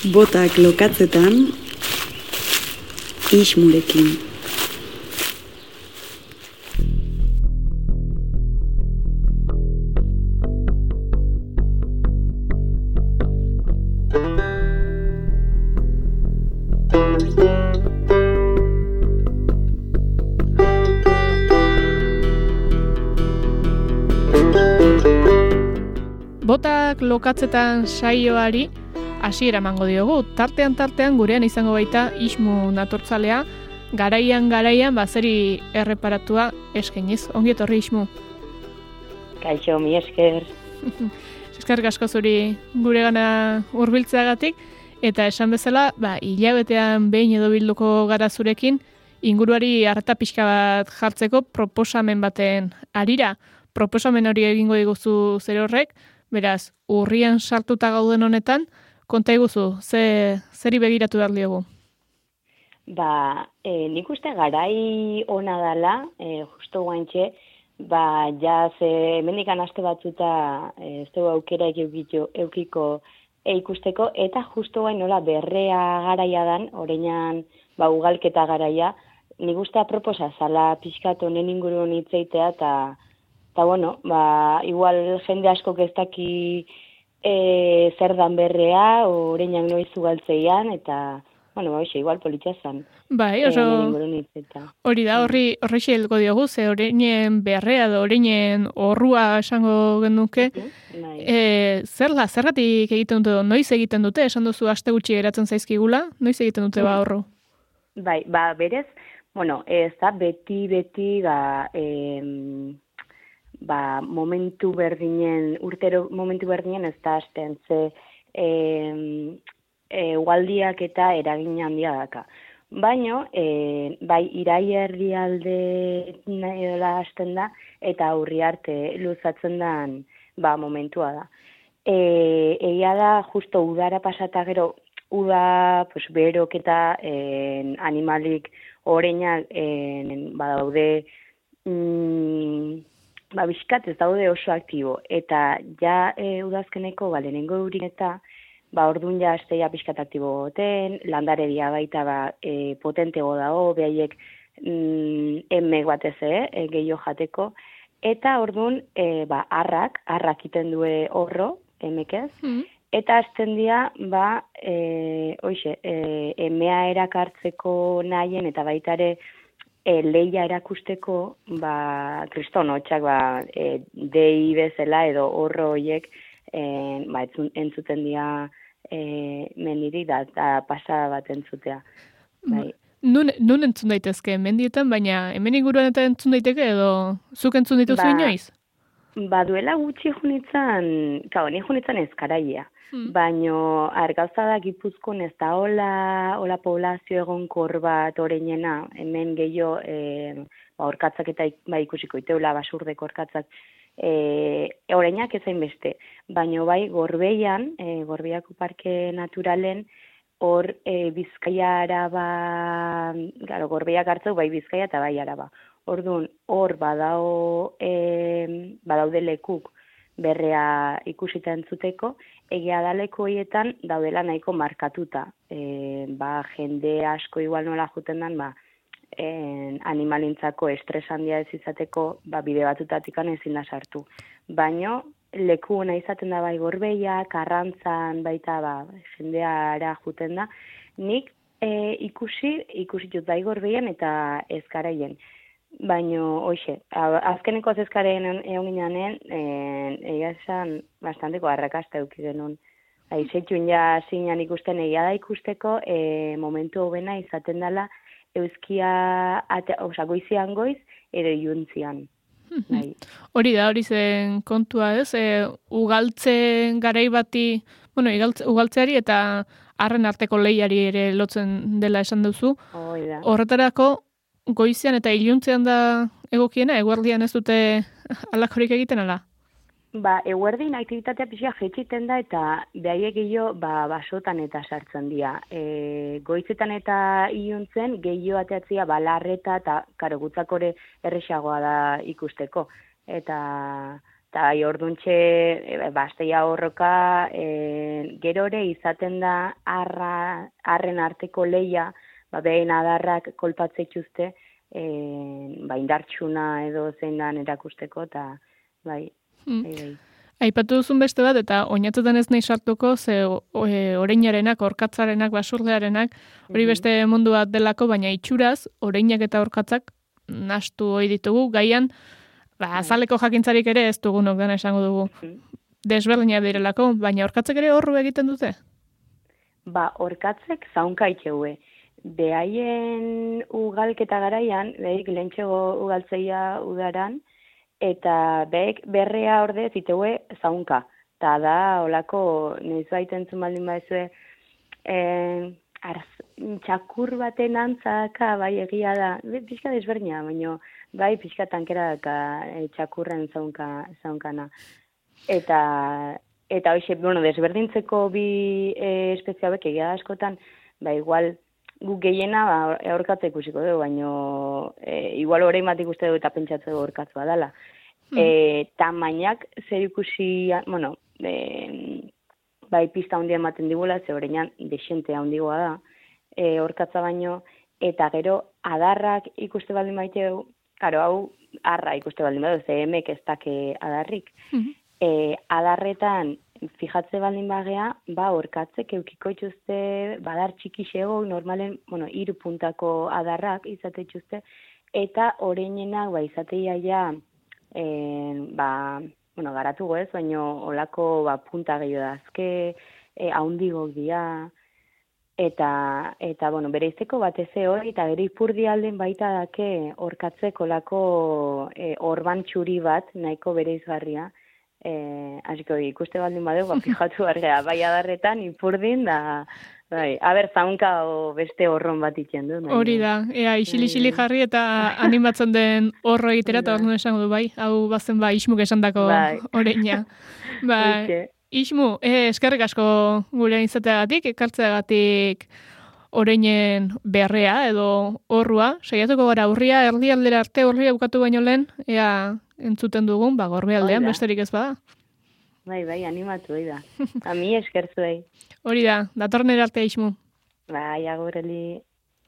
Botak lokatzetan, Ismurekin. Botak lokatzetan saioari hasiera emango diogu. Tartean gurean izango baita Ismu natortzalea, garaian zeri erreparatua eskainiz. Ongi etorri Ismu. Kaixo, mi esker. Eskerrik asko zuri guregana hurbiltzeagatik eta esan bezala, hilabetean behin edo bilduko gara zurekin inguruari arreta pixka bat jartzeko proposamen baten harira. Proposamen hori egingo diguzu zer horrek, beraz, urrian sartuta gauden honetan, konta iguzu, zeri begiratu behar diogu? Nik uste garai ona dela, justo guantxe, hemendikan aste batzuta ez dugu aukera eukiko ikusteko, eta justo guain nola berrea garaia dan, oreinan ugalketa garaia, nik uste aproposa zala pixkat honen inguruen hitzeitea, eta igual jende askok ez daki zer dan berrea, oreinak noiz ugaltzeian, eta, igual politxa zan. Bai, oso hori da, horri xehelko diogu, ze oreinen berrea edo oreinen horrua esango genuke. Zergatik egiten dute, noiz egiten dute, esan duzu aste gutxi geratzen zaizkigula, noiz egiten dute horru? Bai, berez, ez da beti, momentu berdinen, urtero momentu berdinen ez da hasten, ze ugaldiak eta eragin handia daka. Baina, irai herrialde nahi hasten da, eta aurri arte luzatzen den momentua da. Egia da, justo udara pasata gero, uda, berok eta animalik oreinak badaude, bizkat ez daude oso aktibo, eta ja udazkeneko lehenengo eurin eta orduan ja asteia bizkat aktibo goten, landareria baita potentego dago, behaiek emek batez gehiago jateko, eta orduan arrak iten due horro, emekez, eta azten dira, emea erakartzeko nahien, eta baita ere, leia erakusteko, kriston hotxak, dei bezala edo horro horiek, entzuten dira mendirik da pasada bat entzutea. Nun entzun daitezke mendietan, baina hemen inguruan eta entzun daiteke edo zuk entzun dituzu inoiz? Duela gutxi junitzen ezkaraia. Baina argauza da Gipuzkoan ez da hola poblazio egonkor bat oreinena, hemen gehiago orkatzak eta ikusiko iteula basurdeko orkatzak oreinak ezain beste. Baina Gorbeian, Gorbeiako parke naturalen, hor Bizkaia Araba, Gorbeiak hartzeu Bizkaia eta Araba. Orduan, hor badaude lekuk berrea ikusita entzuteko, egia da leku horietan daudela nahiko markatuta. Jende asko igual nola juten dan, animalintzako estres handia ez izateko, bide batutatik ezin da sartu. Baina, leku hona izaten da Gorbeia, Karrantzan, baita jendeara juten da. Nik ikusi dut Gorbeian eta ezkaraien. Baina, azkeneko ezkaren egon ginean, egia esan bastanteko arrakasta eduki genuen. Aizetxun ja zinean ikusten egia da ikusteko, momentu hobena izaten dela euskia, goizian goiz, edo iuntzian. Hori da, hori zen kontua ez, ugaltzen garai bati, ugaltzeari eta harren arteko lehiari ere lotzen dela esan duzu. Horretarako, goizian eta iluntzean da egokiena, eguerdian ez dute alakorik egiten ala? Eguerdin aktibitatea pixka jetxiten da eta behaiek gehiago basotan eta sartzen dira. Goizetan eta iluntzen gehiago ateatzia balarreta eta gutzakore erresagoa da ikusteko. Eta Eta bai, orduntxe, basteia horroka, gerore izaten da arren arteko leia, behin adarrak kolpatzeituzte, indartsuna edo zein dan erakusteko, eta bai. Aipatu duzun beste bat, eta oinatzetan ez nahi sartuko, ze oreinarenak, orkatzarenak, basurdearenak, hori beste mundu bat delako, baina itxuraz, oreinak eta orkatzak nahastu hori ditugu, gaian, azaleko jakintzarik ere ez dugunok dena esango dugu. Desberdinak direlako, baina orkatzek ere horru egiten dute? Orkatzek zaunka itxegue. Behaien ugalketa garaian, behik lehentxego ugaltzeia udaran, eta behek berrea orde ziteue zaunka. Eta da, holako, noiz baiten zumaldin baizue, txakur baten antzaka, bai egia da, pixka desberdina, baina bai pixka tankera daka txakurren zaunkana. Eta hoxe, desberdintzeko bi espezia hauek egia askotan, igual guk gehiena aurkatze ikusiko dugu, baina igual orain bat ikuste dugu eta pentsatzeko aurkatzua dela. Tamainak zer ikusi, bai pista handia ematen digula, ze horrein desente handigoa da, aurkatza baino, eta gero adarrak ikuste baldin maite dugu, karo, hau arra ikuste baldin badu, ze emek ez dake adarrik. Adarretan, fijatze baldin bagea, orkatzek eukiko ituzte, badar txikixego, normalen, 3 puntako adarrak izate ituzte, eta oreinenak, izateia ja, garatu goez, baina olako punta gehiago da, azke, haundigok dira, eta bere izteko batez hori, eta bere ipurdi alden baita dake orkatzeko olako orban txuri bat, nahiko bere izgarria, hasiko ikuste baldin badeu, fijatu bargea, bai adarretan, ipurdin, da, aber zaunka o beste horron bat itxen du. Hori da, isili jarri eta animatzen den horro egitera, eta hor esango du, hau bazen Ismuk esandako oreina. Ismu, eskerrik asko gure izateagatik, ekartzeagatik oreinen berrea edo horrua, saiatuko gara urria, erdialdera arte urria bukatu baino lehen, ea entzuten dugun, Gorbealdean, besterik ez bada. Bai, animatu da. Ami eskertzuei. Hori da, datorren erarte Ismu. Agureli.